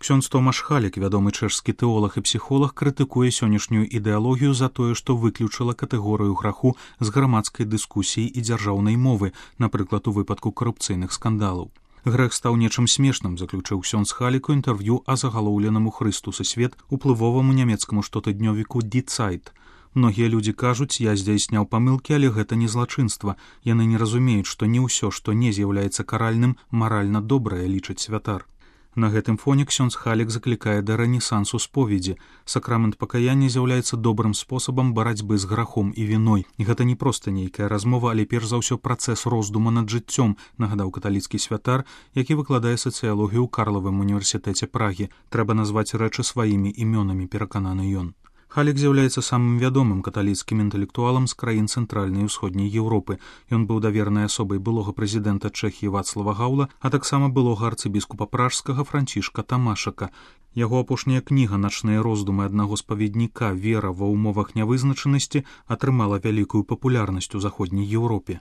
Ксёндз Томаш Халік, вядомы чэшскі тэолаг і псіхолог, крытыкуе сённяшнюю ідэалогію за тое, што выключыла катэгорыю граху з грамадскай дыскусіі і дзяржаўнай мовы, напрыклад, у выпадку карупцыйных скандалаў. Грэх стаў нечым смешным, заключыў ксёндз Халік у інтэрв'ю а загалоўленаму Хрыстус і свет уплывоваму нямецкаму штотыднёвіку Die Zeit. Многія людзі кажуць, я здзяйсняў памылкі, але гэта не злачынства. Яны не разумеюць, што не ўсё, што не з'яўляецца каральным, маральна добрае, лічыць святар. На гэтым фоне ксёндз Халік заклікае да рэнесансу споведзі. Сакрамент пакаяння з'яўляецца добрым спосабам барацьбы з грахом і віной. І гэта не проста нейкая размова, але перш за ўсё працэс роздуму над жыццём, нагадаў каталіцкі святар, які выкладае сацыялогію ў Карлавым універсітэце Прагі. Трэба назваць рэчы сваімі імёнамі, перакананы ён. Халік з'яўляецца самым вядомым каталіцкім інтэлектуалам з краін цэнтральнай і ўсходняй Еўропы. Ён быў даверанай асобай былога прэзідэнта Чэхіі Вацлава Гаўла, а таксама былога арцыбіскупа пражскага Францішка Тамашака. Яго апошняя кніга «Начныя роздумы аднаго спаведніка. Вера ва ўмовах нявызначанасці» атрымала вялікую папулярнасць у заходняй Еўропе.